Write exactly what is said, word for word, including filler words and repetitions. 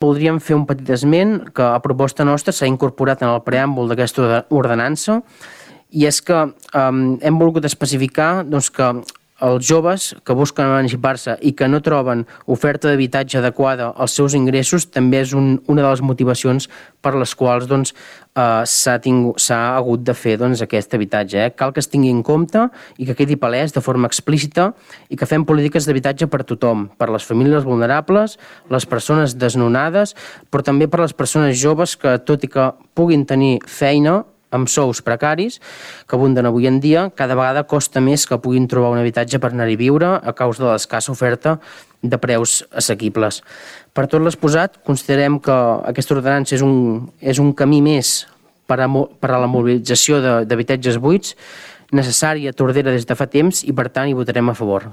Voldríem fer un petit esment que a proposta nostra s'ha incorporat en el preàmbul d'aquesta ordenança, i és que um, hem volgut especificar doncs, que els joves que busquen emancipar-se i que no troben oferta d'habitatge adequada als seus ingressos també és un, una de les motivacions per les quals doncs, eh, s'ha tingut, s'ha hagut de fer doncs, aquest habitatge. Eh? Cal que es tingui en compte i que quedi palès de forma explícita i que fem polítiques d'habitatge per tothom, per les famílies vulnerables, les persones desnonades, però també per les persones joves que, tot i que puguin tenir feina, amb sous precaris, que abunden avui en dia, cada vegada costa més que puguin trobar un habitatge per anar-hi a viure a causa de l'escassa oferta de preus assequibles. Per tot l'exposat, considerem que aquesta ordenança és un, és un camí més per a, per a la mobilització d'habitatges buits, necessària a Tordera des de fa temps i, per tant, hi votarem a favor.